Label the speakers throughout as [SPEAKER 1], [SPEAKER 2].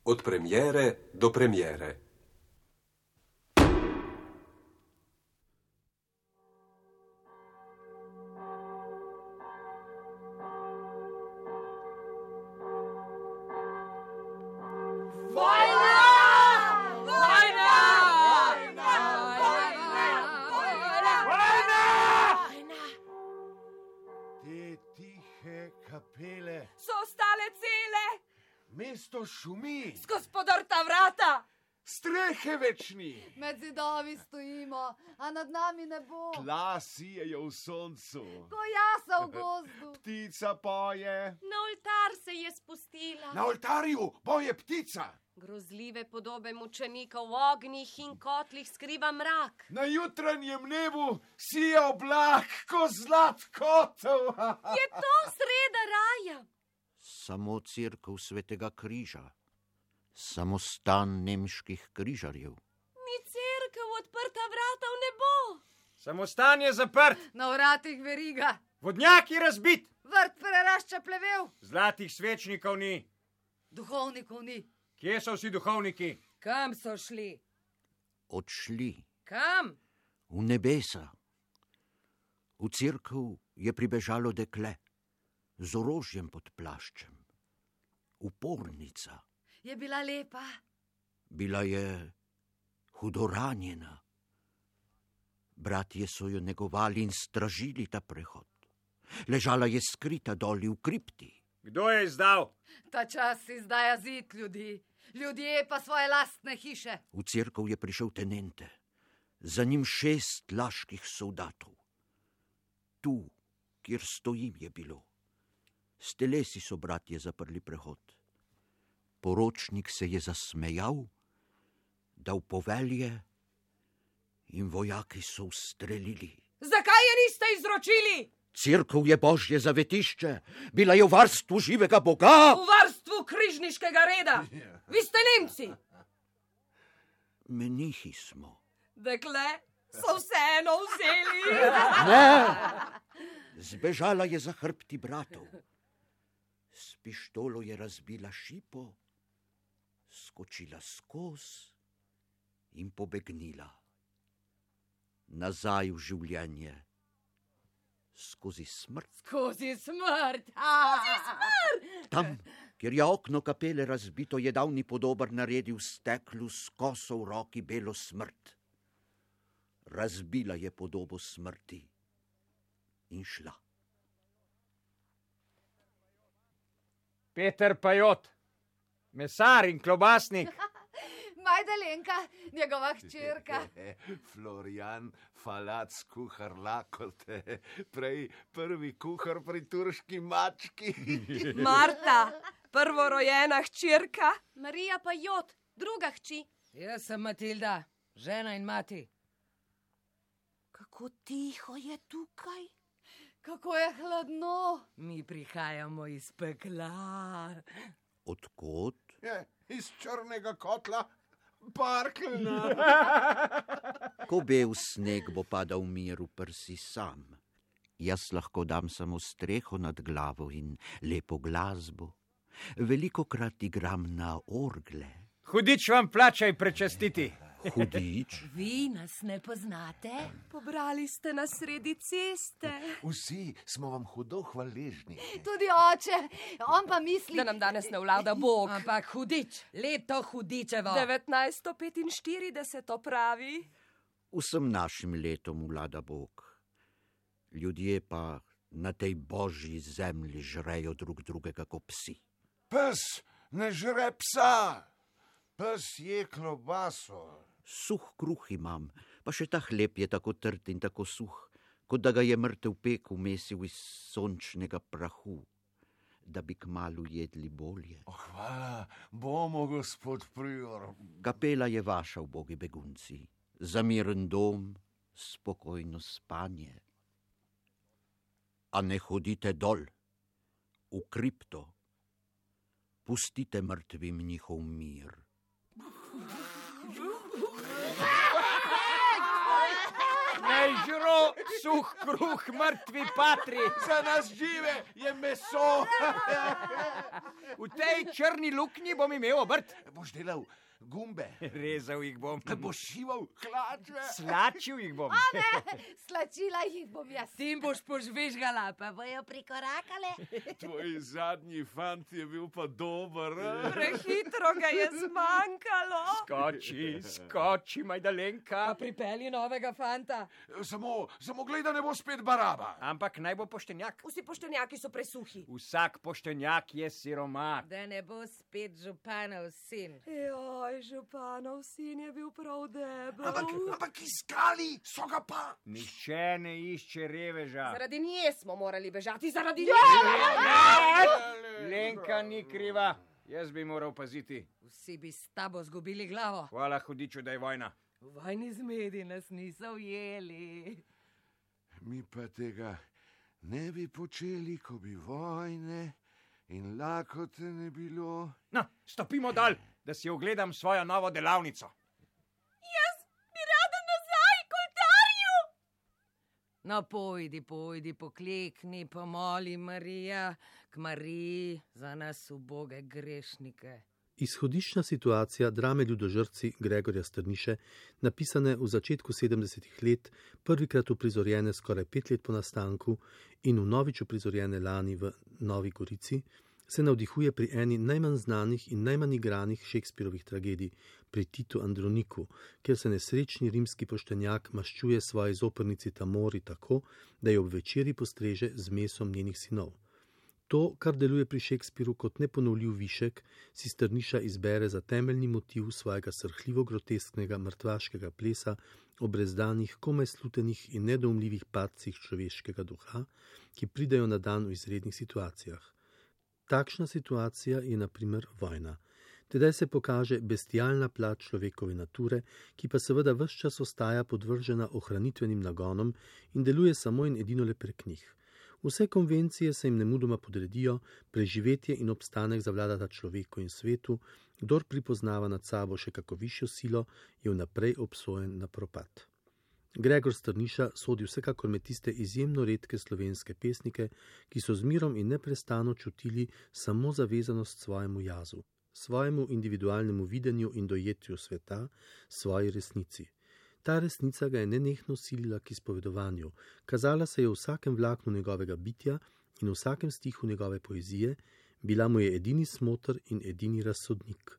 [SPEAKER 1] Od premiere do premiere.
[SPEAKER 2] Kapele.
[SPEAKER 3] So ostale cele.
[SPEAKER 2] Mesto šumi.
[SPEAKER 3] Skozi podrta vrata.
[SPEAKER 2] Strehe večni.
[SPEAKER 4] Med zidovi stojimo, a nad nami ne bo.
[SPEAKER 2] Tla sijejo v soncu.
[SPEAKER 4] Ko jasa v gozdu.
[SPEAKER 2] Ptica poje.
[SPEAKER 3] Na oltar se je spustila.
[SPEAKER 2] Na oltarju poje ptica.
[SPEAKER 3] Grozljive podobe mučenikov v ognjih in kotlih skriva mrak.
[SPEAKER 2] Na jutranjem nebu sije oblak, ko zlat kotov.
[SPEAKER 3] Je to sreda raja?
[SPEAKER 5] Samo cerkev Svetega križa, samo stan nemških križarjev.
[SPEAKER 3] Ni cerkev, odprta vrata v nebo.
[SPEAKER 6] Samo stan je zaprt,
[SPEAKER 4] Na vratih veriga.
[SPEAKER 6] vodnjak je razbit,
[SPEAKER 4] Vrt prerašča plevel.
[SPEAKER 6] zlatih svečnikov ni.
[SPEAKER 4] Duhovnikov ni.
[SPEAKER 6] Kje so vsi duhovniki?
[SPEAKER 3] Kam so šli?
[SPEAKER 5] Odšli
[SPEAKER 3] Kam?
[SPEAKER 5] v nebesa. V cerkev je pribežalo dekle z orožjem pod plaščem. Upornica.
[SPEAKER 4] Je bila lepa.
[SPEAKER 5] Bila je hudo ranjena. Bratje so jo negovali in stražili ta prehod. Ležala je skrita doli v kripti.
[SPEAKER 6] Kdo je izdal?
[SPEAKER 4] Ta čas izdaja zid ljudi. Ljudje pa svoje lastne hiše.
[SPEAKER 5] V cerkev je prišel tenente, za njim 6 laških soldatov. Tu, kjer stojim, je bilo. S telesi so bratje zaprli prehod. Poročnik se je zasmejal, dal povelje in vojaki so ustrelili.
[SPEAKER 3] Zakaj je niste izročili?
[SPEAKER 5] Cerkev je božje zavetišče, bila je v varstvu živega Boga.
[SPEAKER 3] V varstvu križniškega reda. Vi ste Nemci.
[SPEAKER 5] Menihi smo.
[SPEAKER 3] Dekle so vseeno vzeli.
[SPEAKER 5] Ne! Zbežala je za hrbti bratov. S pištolo je razbila šipo, skočila skoz in pobegnila. Nazaj v življenje. Skozi smrt.
[SPEAKER 4] Skozi smrt.
[SPEAKER 5] Tam, kjer je okno kapele razbito, je davni podobar naredil steklu s koso v roki belo smrt. Razbila je podobo smrti in šla.
[SPEAKER 6] Peter Pajot, mesar in klobasnik.
[SPEAKER 4] Majdalenka, njegova hčerka.
[SPEAKER 2] Florian Falac, kuhar lakote. Prej prvi kuhar pri turški mački.
[SPEAKER 3] Marta, prvorojena hčerka. Marija Pajot, druga hči.
[SPEAKER 7] Jaz sem Matilda, žena in mati.
[SPEAKER 3] Kako tiho je tukaj.
[SPEAKER 4] Kako je hladno.
[SPEAKER 7] Mi prihajamo iz pekla.
[SPEAKER 5] Odkot?
[SPEAKER 2] Iz črnega kotla. Parklna.
[SPEAKER 5] Ko bel sneg bo padal v miru prsi sam. Jaz lahko dam samo streho nad glavo in lepo glasbo. Velikokrat igram na orgle.
[SPEAKER 6] Hudič vam plačaj prečastiti.
[SPEAKER 5] Hudič?
[SPEAKER 7] Vi nas ne poznate?
[SPEAKER 3] Pobrali ste nas sredi ceste.
[SPEAKER 2] Vsi smo vam hudo hvaležni.
[SPEAKER 4] Tudi oče, on pa misli...
[SPEAKER 3] Da nam danes ne vlada Bog.
[SPEAKER 7] Ampak hudič, leto hudičevo.
[SPEAKER 3] 1945 pravi.
[SPEAKER 5] Vsem našim letom vlada Bog. Ljudje pa na tej božji zemlji žrejo drug drugega kot psi.
[SPEAKER 2] Pes ne žre psa. Pes je klobaso.
[SPEAKER 5] Suh kruh imam, pa še ta hleb je tako trd in tako suh, kot da ga je mrtev pek umesil iz sončnega prahu, da bi kmalu jedli bolje.
[SPEAKER 2] Hvala bomo, gospod prior.
[SPEAKER 5] Kapela je vaša, ubogi begunci, za miren dom, spokojno spanje. A ne hodite dol, v kripto, pustite mrtvim njihov mir.
[SPEAKER 6] Ne žro Suh kruh, mrtvi patri.
[SPEAKER 2] Za nas žive je meso.
[SPEAKER 6] V tej črni luknji bom imel obrt.
[SPEAKER 2] Boš delal gumbe,
[SPEAKER 6] Rezal jih bom.
[SPEAKER 2] boš šival hlače.
[SPEAKER 6] Slačil jih bom.
[SPEAKER 4] Slačila jih bom jaz.
[SPEAKER 7] Tim boš požvižgala, pa bojo prikorakale.
[SPEAKER 2] Tvoj zadnji fant je bil pa dober.
[SPEAKER 3] Prehitro ga je zmanjkalo.
[SPEAKER 6] Skoči, Majdalenka.
[SPEAKER 7] Pa pripelji novega fanta.
[SPEAKER 2] Samo glej, da ne bo spet baraba.
[SPEAKER 6] Ampak naj bo poštenjak.
[SPEAKER 3] Vsi poštenjaki so presuhi.
[SPEAKER 6] Vsak poštenjak je siromak.
[SPEAKER 7] Da ne bo spet županov sin.
[SPEAKER 3] Joj, županov sin je bil prav debel.
[SPEAKER 2] Ampak iskali so ga pa.
[SPEAKER 6] Nihče ne išče reveža.
[SPEAKER 3] Zaradi nje smo morali bežati, zaradi
[SPEAKER 6] Ja!
[SPEAKER 3] nje.
[SPEAKER 6] Lenka ni kriva. Jaz bi moral paziti.
[SPEAKER 7] Vsi bi s tabo zgubili glavo.
[SPEAKER 6] Hvala hudiču, da je vojna.
[SPEAKER 7] V vojni zmedi nas niso ujeli.
[SPEAKER 2] Mi pa tega ne bi počeli, ko bi vojne in lakote ne bilo.
[SPEAKER 6] No, stopimo dol, da si ogledam svojo novo delavnico.
[SPEAKER 7] No, pojdi, poklekni, pomoli Marija, k Mariji za nas uboge grešnike.
[SPEAKER 8] Izhodiščna situacija drame Ljudožrtci Gregorja Strniše, napisane v začetku 70-ih let, prvikrat uprizorjene skoraj 5 let po nastanku in vnovič uprizorjene lani v Novi Gorici, se navdihuje pri eni najmanj znanih in najmanj igranih Shakespearovih tragedij, pri Titu Androniku, kjer se nesrečni rimski poštenjak maščuje svoji zoprnici Tamori tako, da jo ob večeri postreže z mesom njenih sinov. To, kar deluje pri Shakespearu kot neponovljiv višek, si Strniša izbere za temeljni motiv svojega srhljivo grotesknega mrtvaškega plesa o brezdanih, komaj slutenih in nedoumljivih padcih človeškega duha, ki pridejo na dan v izrednih situacijah. Takšna situacija je na primer vojna. Tedaj se pokaže bestialna plat človekove nature, ki pa seveda ves čas ostaja podvržena ohranitvenim nagonom in deluje samo in edino le prek njih. Vse konvencije se jim nemudoma podredijo, preživetje in obstanek zavladata človeku in svetu, kdor pripoznava nad sabo še kako višjo silo, je vnaprej obsojen na propad. Gregor Strniša sodi vsekakor med tiste izjemno redke slovenske pesnike, ki so z mirom in neprestano čutili samo zavezanost svojemu jazu, svojemu individualnemu videnju in dojetju sveta, svoji resnici. Ta resnica ga je nenehno silila k izpovedovanju, kazala se je v vsakem vlaknu njegovega bitja in v vsakem stihu njegove poezije, bila mu je edini smotr in edini razsodnik.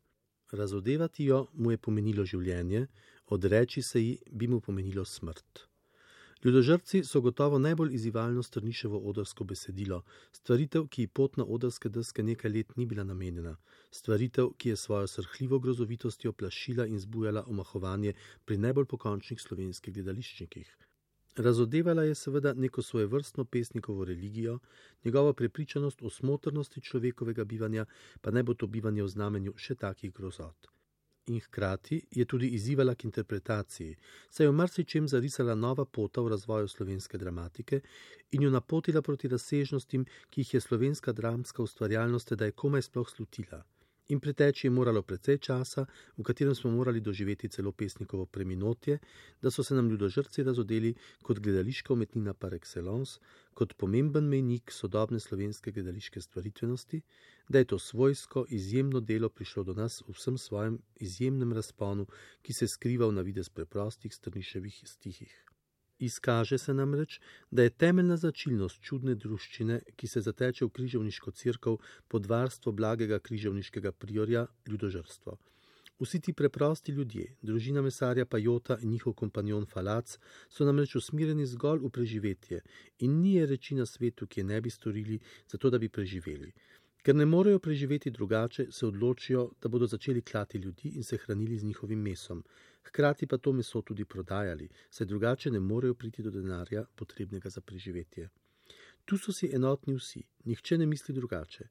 [SPEAKER 8] Razodevati jo mu je pomenilo življenje, odreči se ji bi mu pomenilo smrt. Ljudožrtci so gotovo najbolj izzivalno Strniševo odrsko besedilo, stvaritev, ki ji pot na odrske deske nekaj let ni bila namenjena, stvaritev, ki je svojo srhljivo grozovitostjo plašila in zbujala omahovanje pri najbolj pokončnih slovenskih gledališčnikih. Razodevala je seveda neko svojevrstno pesnikovo religijo, njegovo prepričanost o smotrnosti človekovega bivanja, pa naj bo to bivanje v znamenju še takih grozot. In hkrati je tudi izzivala k interpretaciji, saj je v marsičem zarisala nova pota v razvoju slovenske dramatike in jo napotila proti razsežnostim, ki jih je slovenska dramska ustvarjalnost tedaj komaj sploh slutila. In preteči je moralo precej časa, v katerem smo morali doživeti celo pesnikovo preminotje, da so se nam Ljudožrtci razodeli kot gledališka umetnina par excellence, kot pomemben mejnik sodobne slovenske gledališke stvaritvenosti, da je to svojsko, izjemno delo prišlo do nas v vsem svojem izjemnem razponu, ki se skriva v navidez preprostih Strniševih stihih. Izkaže se namreč, da je temeljna značilnost čudne druščine, ki se zateče v križevniško cerkev pod varstvo blagega križevniškega priorja, ljudožrstvo. Vsi ti preprosti ljudje, družina mesarja Pajota in njihov kompanjon Falac, so namreč usmerjeni zgolj v preživetje in ni je reči na svetu, ki je ne bi storili, zato da bi preživeli. Ker ne morejo preživeti drugače, se odločijo, da bodo začeli klati ljudi in se hranili z njihovim mesom. Hkrati pa to meso tudi prodajali, saj drugače ne morejo priti do denarja, potrebnega za preživetje. Tu so si enotni vsi, nihče ne misli drugače.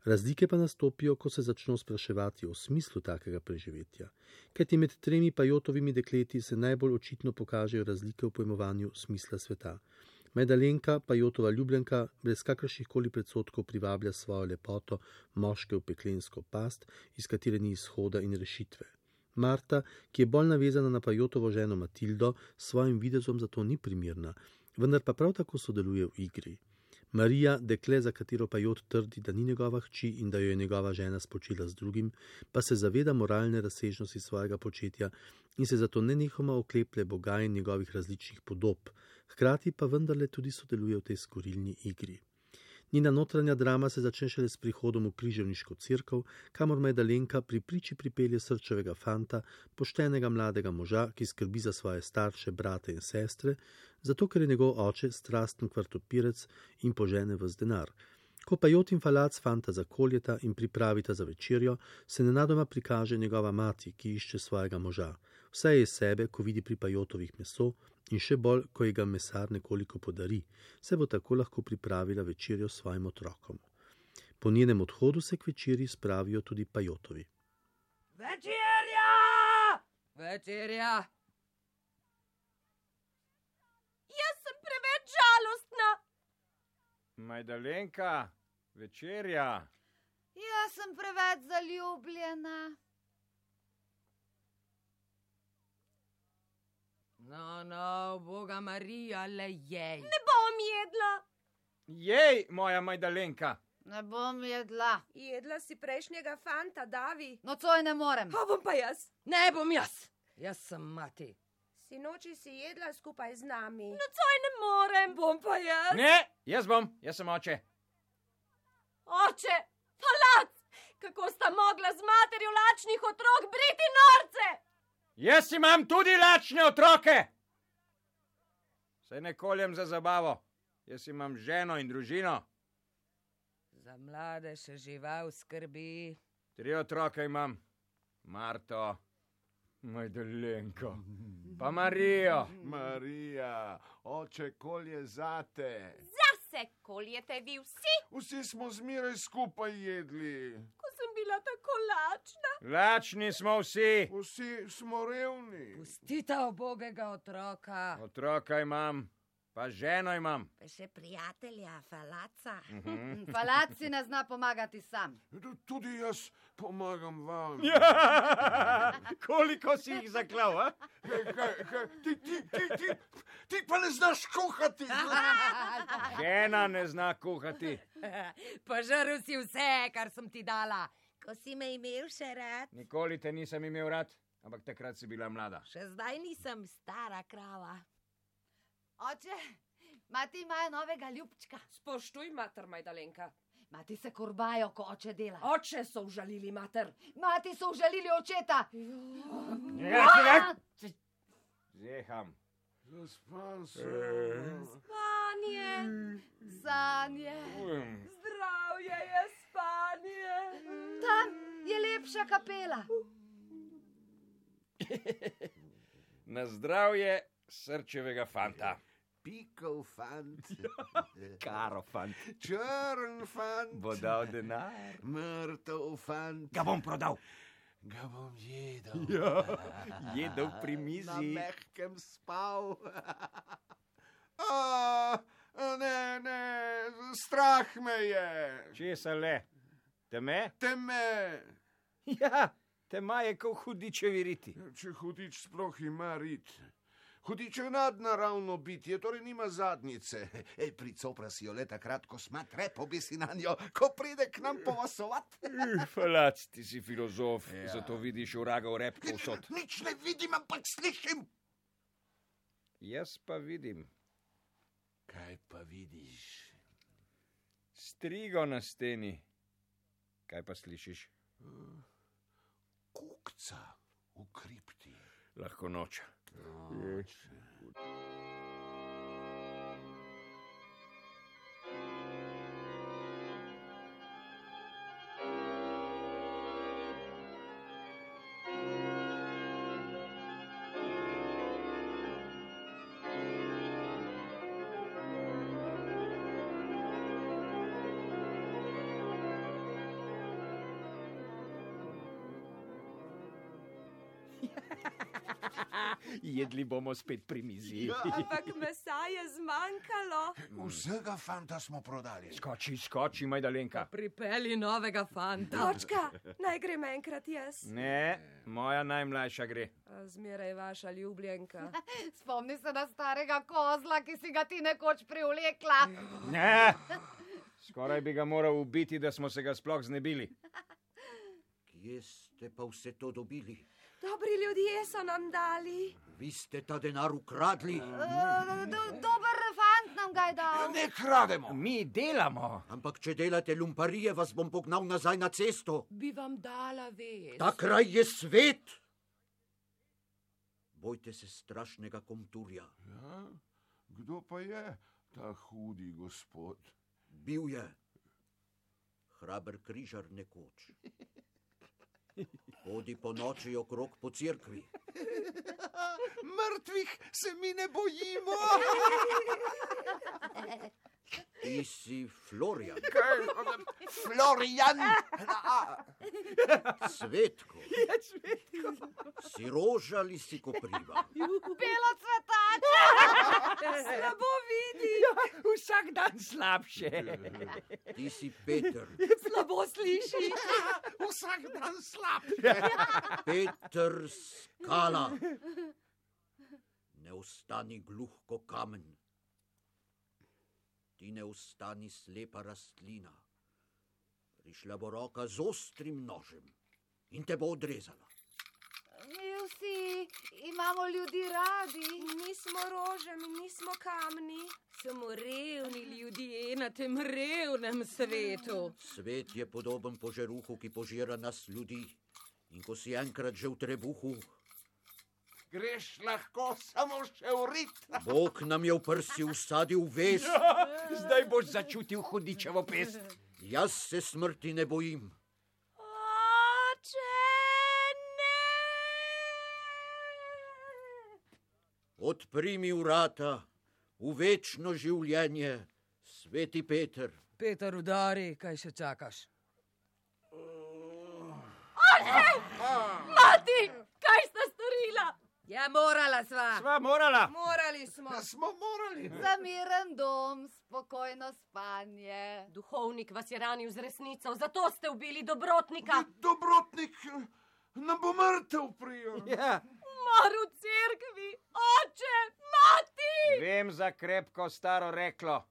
[SPEAKER 8] Razlike pa nastopijo, ko se začno spraševati o smislu takega preživetja. Kajti med 3 Pajotovimi dekleti se najbolj očitno pokažejo razlike v pojmovanju smisla sveta. Majdalenka, Pajotova ljubljenka, brez kakršnihkoli predsodkov privablja svojo lepoto moške v peklensko past, iz katere ni izhoda in rešitve. Marta, ki je bolj navezana na Pajotovo ženo Matildo, s svojim videzom zato ni primirna, vendar pa prav tako sodeluje v igri. Marija, dekle, za katero Pajot trdi, da ni njegova hči in da jo je njegova žena spočila z drugim, pa se zaveda moralne razsežnosti svojega početja in se zato nenehoma okleplje Boga in njegovih različnih podob, hkrati pa vendarle tudi sodeluje v tej skorilni igri. Njena notranja drama se začne šele s prihodom v križevniško cerkev, kamor Majdalenka pri priči pripelje srčevega fanta, poštenega mladega moža, ki skrbi za svoje starše, brate in sestre, zato ker je njegov oče strasten kvartopirec in požene ves denar. Ko Pajot in Falac fanta zakoljeta in pripravita za večerjo, se nenadoma prikaže njegova mati, ki išče svojega moža. Vse je iz sebe, ko vidi pri Pajotovih meso, in še bolj, ko ji ga mesar nekoliko podari, se bo tako lahko pripravila večerjo s svojim otrokom. Po njenem odhodu se k večerji spravijo tudi Pajotovi.
[SPEAKER 7] Večerja! Večerja!
[SPEAKER 3] Jaz sem preveč žalostna.
[SPEAKER 6] Majdalenka, večerja.
[SPEAKER 4] Jaz sem preveč zaljubljena.
[SPEAKER 7] No, Boga Marija, le jej.
[SPEAKER 3] Ne bom jedla.
[SPEAKER 6] Jej, moja Majdalenka.
[SPEAKER 4] Ne bom jedla.
[SPEAKER 3] Jedla si prejšnjega fanta, Davi.
[SPEAKER 4] Nocoj ne morem.
[SPEAKER 3] Pa bom pa jaz.
[SPEAKER 7] Ne bom jaz. Jaz sem mati.
[SPEAKER 3] Sinoči si jedla skupaj z nami. Nocoj ne morem. Bom pa jaz.
[SPEAKER 6] Ne, jaz bom, jaz sem oče.
[SPEAKER 3] Oče, Falac, kako sta mogla z materjo lačnih otrok briti norce?
[SPEAKER 6] Jaz imam tudi lačne otroke. Saj ne koljem za zabavo. Jaz imam ženo in družino.
[SPEAKER 7] Za mlade še žival skrbi.
[SPEAKER 6] 3 otroke imam. Marto, Majdalenko, pa Marijo.
[SPEAKER 2] Marija, oče kolje zate.
[SPEAKER 3] Zase koljete vi vsi,
[SPEAKER 2] Vsi smo zmeraj skupaj jedli.
[SPEAKER 3] ko sem bila tako lačna.
[SPEAKER 6] Lačni smo vsi.
[SPEAKER 2] Vsi smo revni.
[SPEAKER 7] Pustita ubogega otroka.
[SPEAKER 6] Otroka imam, pa ženo imam.
[SPEAKER 7] Pa še prijatelja, Falaca.
[SPEAKER 4] Falac si ne zna pomagati sam.
[SPEAKER 2] Tudi jaz pomagam vam.
[SPEAKER 6] Koliko si jih zaklal, a?
[SPEAKER 2] Ti pa ne znaš kuhati.
[SPEAKER 6] Žena ne zna kuhati.
[SPEAKER 7] Požrl si vse, kar sem ti dala. Ko si me imel še rad.
[SPEAKER 6] Nikoli te nisem imel rad, ampak takrat si bila mlada.
[SPEAKER 7] Še zdaj nisem stara krava.
[SPEAKER 4] Oče, mati imajo novega ljubčka.
[SPEAKER 3] Spoštuj, mater Majdalenka.
[SPEAKER 4] Mati se korbajo, ko oče dela.
[SPEAKER 3] Oče so užalili, mater.
[SPEAKER 4] Mati so užalili očeta.
[SPEAKER 6] Zeham.
[SPEAKER 2] Zaspan sem.
[SPEAKER 3] Spanje,
[SPEAKER 4] Sanje.
[SPEAKER 3] zdravje je spanje.
[SPEAKER 4] Tam je lepša kapela.
[SPEAKER 6] Na zdravje srčevega fanta.
[SPEAKER 2] Pikov fant.
[SPEAKER 6] Karo fant.
[SPEAKER 2] Črn fant.
[SPEAKER 6] Bo dal denar.
[SPEAKER 2] Mrtev fant.
[SPEAKER 6] Ga bom prodal.
[SPEAKER 2] Ga bom jedel.
[SPEAKER 6] Jedel pri
[SPEAKER 2] Na
[SPEAKER 6] mizi.
[SPEAKER 2] mehkem spal. Ne, strah me je.
[SPEAKER 6] Česa le? Teme?
[SPEAKER 2] Teme.
[SPEAKER 6] Ja, tema je kot hudičevi riti.
[SPEAKER 2] Če hudič sploh ima rit. Hudič je nadnaravno bitje, torej nima zadnjice. Pricopra si jo le takrat, ko smatre, pobesi na njo, ko pride k nam povasovat.
[SPEAKER 6] Falac, ti si filozof, zato vidiš vraga v rep povsod.
[SPEAKER 2] Nič ne vidim, ampak slišim.
[SPEAKER 6] Jaz pa vidim.
[SPEAKER 2] Kaj pa vidiš?
[SPEAKER 6] Strigo na steni. Kaj pa slišiš?
[SPEAKER 2] Kukca v kripti.
[SPEAKER 6] Lahko noč. Jedli bomo spet pri mizi.
[SPEAKER 3] Ampak mesa je zmanjkalo.
[SPEAKER 2] Vsega fanta smo prodali.
[SPEAKER 6] Skoči, Majdalenka.
[SPEAKER 7] Pripelji novega fanta.
[SPEAKER 3] Točka, naj grem enkrat jaz.
[SPEAKER 6] Ne, moja najmlajša gre.
[SPEAKER 3] Zmeraj vaša ljubljenka.
[SPEAKER 4] Spomni se na starega kozla, ki si ga ti nekoč privlekla.
[SPEAKER 6] Ne, skoraj bi ga moral ubiti, da smo se ga sploh znebili.
[SPEAKER 5] Kje ste pa vse to dobili?
[SPEAKER 3] Dobri ljudje so nam dali.
[SPEAKER 5] Vi ste ta denar ukradli?
[SPEAKER 4] Dober fant nam ga je dal.
[SPEAKER 2] Ne krademo.
[SPEAKER 6] Mi delamo.
[SPEAKER 5] Ampak če delate lumparije, vas bom pognal nazaj na cesto.
[SPEAKER 7] Bi vam dala vest.
[SPEAKER 5] Ta kraj je svet. Bojte se strašnega komturja.
[SPEAKER 2] Ja? Kdo pa je ta hudi gospod?
[SPEAKER 5] Bil je hraber križar nekoč. Hodi po noči okrog po cerkvi.
[SPEAKER 2] Mrtvih se mi ne bojimo.
[SPEAKER 5] Ti si Florian.
[SPEAKER 2] Florian.
[SPEAKER 5] Cvetko. Si roža ali si kopriva?
[SPEAKER 4] Belo cvetače.
[SPEAKER 3] Slabo vidi.
[SPEAKER 6] Vsak dan slabše.
[SPEAKER 5] Ti si Peter.
[SPEAKER 7] Slabo sliši.
[SPEAKER 2] Vsak dan slabše.
[SPEAKER 5] Peter Skala. Ne ostani gluh ko kamen. Ti ne ostani slepa rastlina. Prišla bo roka z ostrim nožem in te bo odrezala.
[SPEAKER 4] Mi vsi imamo ljudi radi.
[SPEAKER 3] Nismo rože, mi nismo kamni.
[SPEAKER 7] Samo revni ljudje na tem revnem svetu.
[SPEAKER 5] Svet je podoben požeruhu, ki požira nas ljudi. In ko si enkrat že v trebuhu,
[SPEAKER 2] Greš lahko samo še v rit.
[SPEAKER 5] Bog nam je v prsi usadil vest.
[SPEAKER 6] Zdaj boš začutil hudičevo pest.
[SPEAKER 5] Jaz se smrti ne bojim.
[SPEAKER 3] Oče, ne!
[SPEAKER 5] Odpri mi vrata v večno življenje, sveti Peter.
[SPEAKER 7] Peter, udari, kaj še čakaš?
[SPEAKER 3] Mati, kaj sta storila?
[SPEAKER 7] Ja, morala sva.
[SPEAKER 6] Sva morala.
[SPEAKER 7] Morali smo.
[SPEAKER 2] Smo morali.
[SPEAKER 4] Za miren dom, spokojno spanje.
[SPEAKER 3] Duhovnik vas je ranil z resnico, zato ste ubili dobrotnika.
[SPEAKER 2] Dobrotnik nam bo mrtev prijel.
[SPEAKER 6] Ja.
[SPEAKER 3] Mor v cerkvi, oče, mati!
[SPEAKER 6] Vem za krepko staro reklo.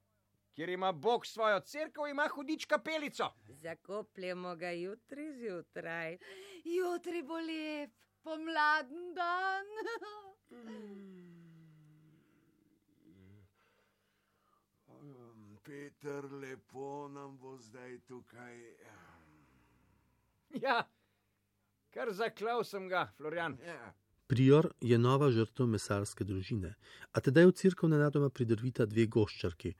[SPEAKER 6] Kjer ima Bog svojo cerkev, ima hudič kapelico.
[SPEAKER 7] Zakopljemo ga jutri zjutraj.
[SPEAKER 4] Jutri bo lep, pomladen dan.
[SPEAKER 2] Peter, lepo nam bo zdaj tukaj.
[SPEAKER 6] Ja, kar zaklal sem ga, Florian.
[SPEAKER 2] Ja.
[SPEAKER 8] Prior je nova žrtev mesarske družine, a tedaj v cerkev nenadoma pridrvita dve goščarki.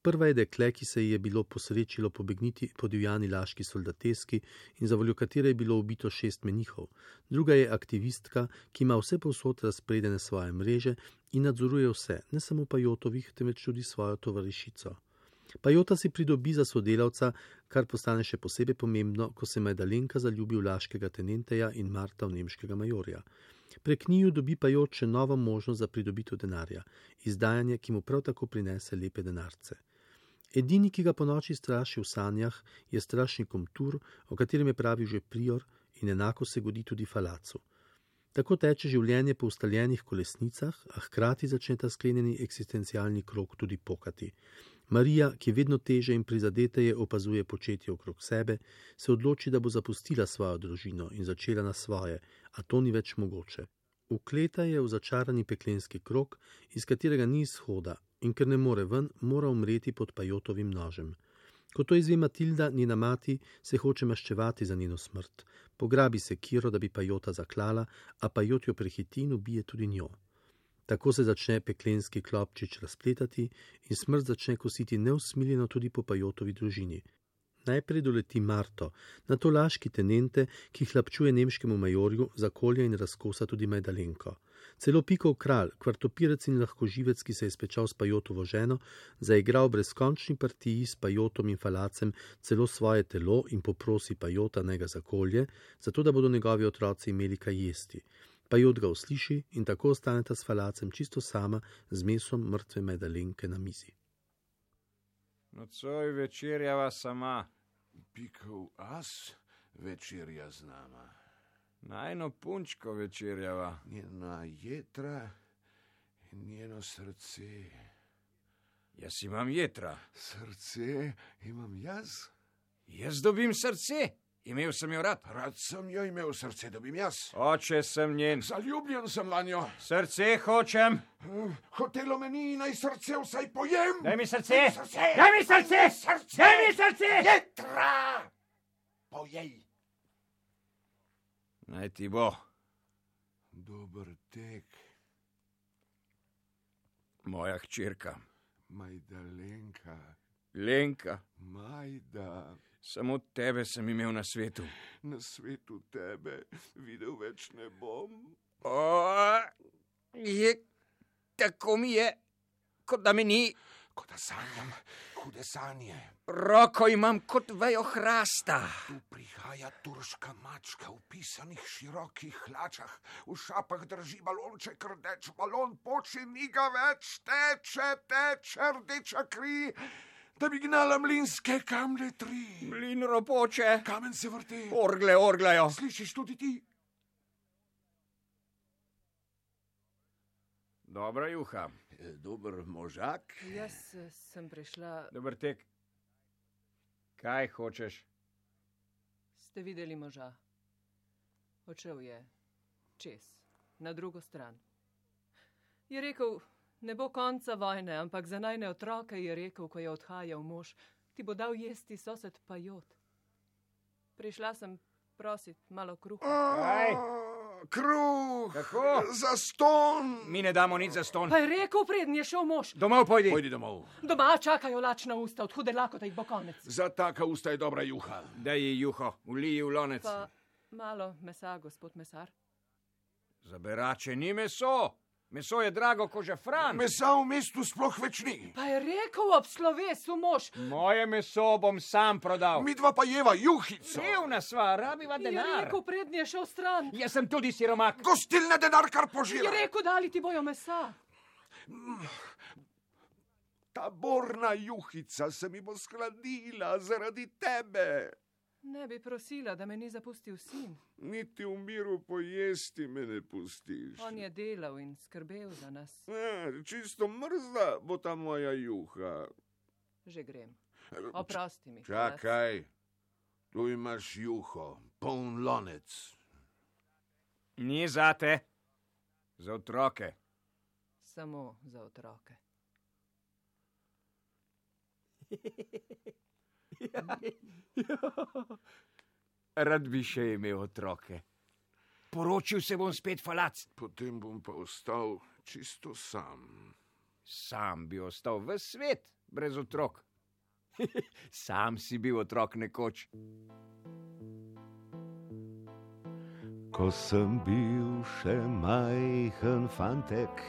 [SPEAKER 8] Prva je dekle, ki se ji je bilo posrečilo pobegniti po divjani laški soldateski in za voljo katere je bilo ubito 6 menihov. Druga je aktivistka, ki ima vse povsod razpredene svoje mreže in nadzoruje vse, ne samo Pajotovih, temveč tudi svojo tovarišico. Pajota si pridobi za sodelavca, kar postane še posebej pomembno, ko se Majdalenka zaljubi v laškega tenenteja in Marta v nemškega majorja. Prek njiju dobi Pajot še novo možnost za pridobitev denarja, izdajanje, ki mu prav tako prinese lepe denarce. Edini, ki ga po noči straši v sanjah, je strašni komtur, o katerem je pravil že Prior, in enako se godi tudi Falacu. Tako teče življenje po ustaljenih kolesnicah, a hkrati začne ta sklenjeni eksistencialni krog tudi pokati. Marija, ki vedno teže in prizadeteje opazuje početje okrog sebe, se odloči, da bo zapustila svojo družino in začela na svoje, a to ni več mogoče. Vkleta je v začarani peklenski krog, iz katerega ni izhoda, in ker ne more ven, mora umreti pod Pajotovim nožem. Ko to izve Matilda, njena mati, se hoče maščevati za njeno smrt. Pograbi se Kiro, da bi Pajota zaklala, a Pajot jo prehiti in ubije tudi njo. Tako se začne peklenski klopčič razpletati in smrt začne kositi neusmiljeno tudi po Pajotovi družini. Najprej doleti Marto, nato laški tenente, ki hlapčuje nemškemu majorju, zakolja in razkosa tudi Majdalenko. Celo Pikov kralj, kvartopirec in lahkoživec, ki se je spečal s Pajotovo ženo, zaigra v brezkončni partiji s Pajotom in Falacem celo svoje telo in poprosi Pajota, naj ga zakolje, zato da bodo njegovi otroci imeli kaj jesti. Pajot ga usliši in tako ostaneta s falacem čisto sama z mesom mrtve Medalenke na mizi.
[SPEAKER 6] Nocoj večerjava sama.
[SPEAKER 2] Pikov as večerja z nama.
[SPEAKER 6] Najno punčko večerjava.
[SPEAKER 2] Njena jetra in njeno srce.
[SPEAKER 6] Jaz imam jetra.
[SPEAKER 2] Srce imam jaz.
[SPEAKER 6] Jaz dobim srce. Imel sem jo rad.
[SPEAKER 2] Rad sem jo imel, srce dobim jaz.
[SPEAKER 6] Oče sem njen.
[SPEAKER 2] Zaljubljen sem vanjo.
[SPEAKER 6] Srce hočem.
[SPEAKER 2] Hotelo me ni, naj srce vsaj pojem.
[SPEAKER 6] Daj mi srce. Daj mi srce. Daj mi srce.
[SPEAKER 2] Jetra! Pojej.
[SPEAKER 6] Naj ti bo.
[SPEAKER 2] Dober tek.
[SPEAKER 6] Moja hčerka.
[SPEAKER 2] Majdalenka.
[SPEAKER 6] Lenka.
[SPEAKER 2] Majda.
[SPEAKER 6] Samo tebe sem imel na svetu.
[SPEAKER 2] Na svetu tebe videl več ne bom.
[SPEAKER 6] Tako mi je, kot da me ni.
[SPEAKER 2] Kot da sanjam, hude sanje.
[SPEAKER 6] Roko imam kot vejo hrasta.
[SPEAKER 2] Tu prihaja turška mačka v pisanih širokih hlačah. V šapah drži balonček, rdeč balon poči, ni ga več, teče rdeča kri, da bi gnala mlinske kamne tri.
[SPEAKER 6] Mlin ropoče.
[SPEAKER 2] Kamen se vrti.
[SPEAKER 6] Orgle orglajo.
[SPEAKER 2] Slišiš tudi ti?
[SPEAKER 6] Dobra juha.
[SPEAKER 2] Dober možak.
[SPEAKER 7] Jaz sem prišla.
[SPEAKER 6] Dober tek. Kaj hočeš?
[SPEAKER 7] Ste videli moža? Odšel je čez, na drugo stran. Je rekel, ne bo konca vojne, ampak za najne otroke je rekel, ko je odhajal mož, ti bo dal jesti sosed Pajot. Prišla sem prosit malo kruha.
[SPEAKER 6] Kaj?
[SPEAKER 2] Kruh!
[SPEAKER 6] Kako?
[SPEAKER 2] Zaston!
[SPEAKER 6] Mi ne damo nič za ston.
[SPEAKER 7] Pa je rekel, preden je šel mož.
[SPEAKER 6] Domov pojdi.
[SPEAKER 2] Pojdi domov.
[SPEAKER 7] Doma čakajo lačna usta, od hude lakote jih bo konec.
[SPEAKER 2] Za taka usta je dobra juha.
[SPEAKER 6] Daj ji juho, vliji v lonec.
[SPEAKER 7] Pa malo mesa, gospod mesar.
[SPEAKER 6] Za berače ni meso. Meso je drago ko žafran.
[SPEAKER 2] Mesa v mestu sploh več ni.
[SPEAKER 7] Pa je rekel ob slovesu mož.
[SPEAKER 6] Moje meso bom sam prodal.
[SPEAKER 2] Midva pa jeva juhico.
[SPEAKER 6] Revna sva, rabiva
[SPEAKER 7] Je
[SPEAKER 6] denar.
[SPEAKER 7] rekel, preden je šel stran.
[SPEAKER 6] Jaz sem tudi siromak.
[SPEAKER 2] Gostilne denar kar
[SPEAKER 7] Je
[SPEAKER 2] požira.
[SPEAKER 7] rekel, dali ti bojo mesa.
[SPEAKER 2] Ta borna juhica se mi bo skladila zaradi tebe.
[SPEAKER 7] Ne bi prosila, da me ni zapustil sin.
[SPEAKER 2] Niti v miru pojesti me ne pustiš.
[SPEAKER 7] On je delal in skrbel za nas.
[SPEAKER 2] Čisto mrzla bo ta moja juha.
[SPEAKER 7] Že grem. Oprosti mi.
[SPEAKER 2] Čakaj, tu imaš juho, poln lonec.
[SPEAKER 6] Ni zate. Za otroke.
[SPEAKER 7] Samo za otroke.
[SPEAKER 6] Rad bi še imel otroke. Poročil se bom spet falac.
[SPEAKER 2] Potem bom pa ostal čisto sam.
[SPEAKER 6] Sam bi ostal ves svet, brez otrok. Sam si bil otrok nekoč.
[SPEAKER 9] Ko sem bil še majhen fantek,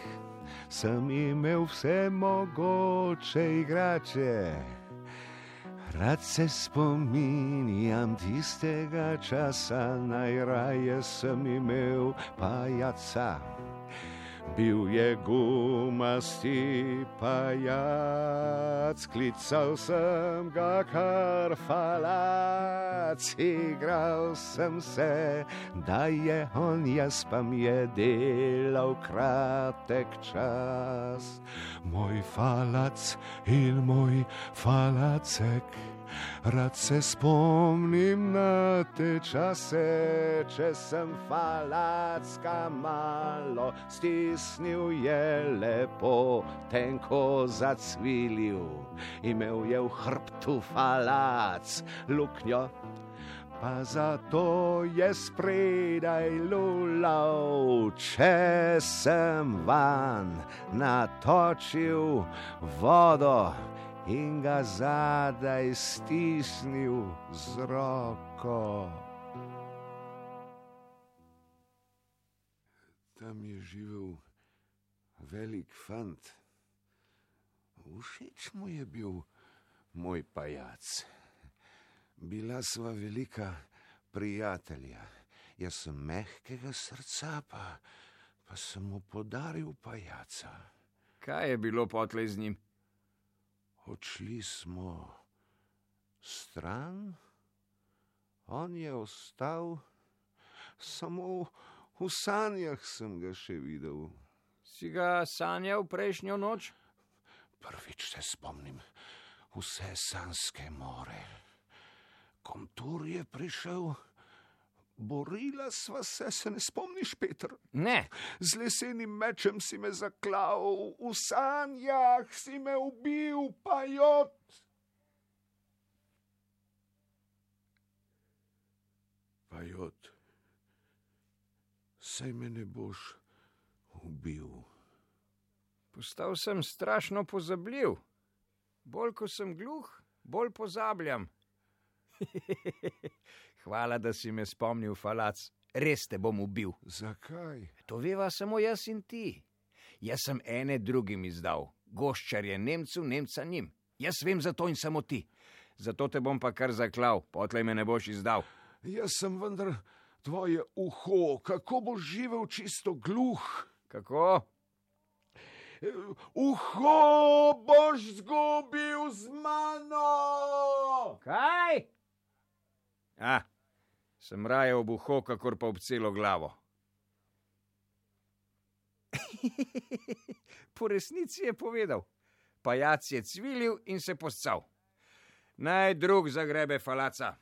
[SPEAKER 9] sem imel vse mogoče igrače. Rad se spominjam tistega časa, najraje sem imel pajaca. Bil je gumasti pajac, klical sem ga kar falac. Igral sem se, da je on, jaz pa mi je delal kratek čas. Moj falac in moj falacek, rad se spomnim na te čase, če sem falacka malo stisnil, je lepo tenko zacvilil. Imel je v hrbtu falac luknjo, pa zato je spredaj lulal. Če sem van natočil vodo in ga zadaj stisnil z roko.
[SPEAKER 2] Tam je živel velik fant. Všeč mu je bil moj pajac. Bila sva velika prijatelja Jaz sem mehkega srca, pa sem mu podaril pajaca.
[SPEAKER 6] Kaj je bilo potlej z njim?
[SPEAKER 2] Odšli smo stran, on je ostal, samo v sanjah sem ga še videl.
[SPEAKER 6] Si ga sanjal prejšnjo noč?
[SPEAKER 2] Prvič se spomnim vse sanjske more. Komtur je prišel, borila sva se ne spomniš, Peter?
[SPEAKER 6] Ne.
[SPEAKER 2] Z lesenim mečem si me zaklal, v sanjah si me ubil, Pajot. Pajot, saj me ne boš ubil.
[SPEAKER 6] Postal sem strašno pozabljiv. Bolj ko sem gluh, bolj pozabljam. Hvala, da si me spomnil, Falac. Res te bom ubil.
[SPEAKER 2] Zakaj?
[SPEAKER 6] To veva samo jaz in ti. Jaz sem ene drugim izdal. Goščar je Nemcu, Nemca njim. Jaz vem za to in samo ti. Zato te bom pa kar zaklal, potlej me ne boš izdal.
[SPEAKER 2] Jaz sem vendar tvoje uho, kako boš živel čisto gluh?
[SPEAKER 6] Kako?
[SPEAKER 2] Uho boš zgubil z mano!
[SPEAKER 6] Kaj? Sem raje ob uho, kakor pa ob celo glavo. Po resnici je povedal. Pajac je cvilil in se poscal. Naj drug zagrebe Falaca.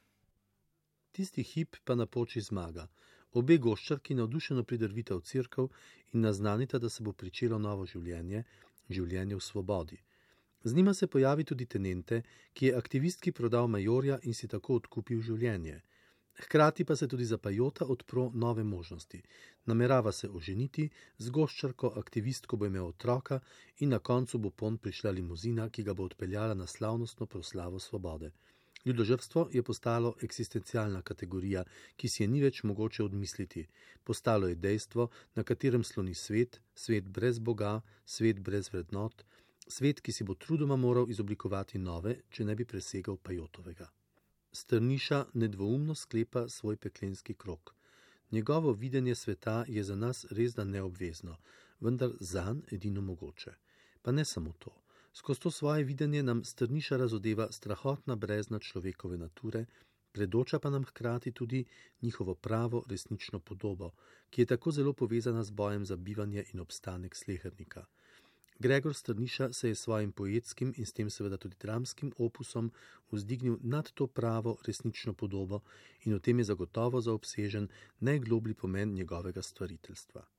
[SPEAKER 8] Tisti hip pa napoči zmaga. Obe goščarki navdušeno pridrvita v cerkev in naznanita, da se bo pričelo novo življenje, življenje v svobodi. Z njima se pojavi tudi tenente, ki je aktivistki prodal majorja in si tako odkupil življenje. Hkrati pa se tudi za Pajota odpro nove možnosti. Namerava se oženiti, z goščarko aktivistko bo imel otroka in na koncu bo ponj prišla limuzina, ki ga bo odpeljala na slavnostno proslavo svobode. Ljudožrtstvo je postalo eksistencialna kategorija, ki si je ni več mogoče odmisliti. Postalo je dejstvo, na katerem sloni svet, svet brez Boga, svet brez vrednot, svet, ki si bo trudoma moral izoblikovati nove, če ne bi presegal Pajotovega. Strniša nedvoumno sklepa svoj peklenski krog. Njegovo videnje sveta je za nas resda neobvezno, vendar zanj edino mogoče. Pa ne samo to. Skozi to svoje videnje nam Strniša razodeva strahotna brezna človekove nature, predoča pa nam hkrati tudi njihovo pravo resnično podobo, ki je tako zelo povezana z bojem za bivanje in obstanek slehernika. Gregor Strniša se je svojim poetskim in s tem seveda tudi dramskim opusom vzdignil nad to pravo resnično podobo in v tem je zagotovo zaobsežen najgloblji pomen njegovega stvariteljstva.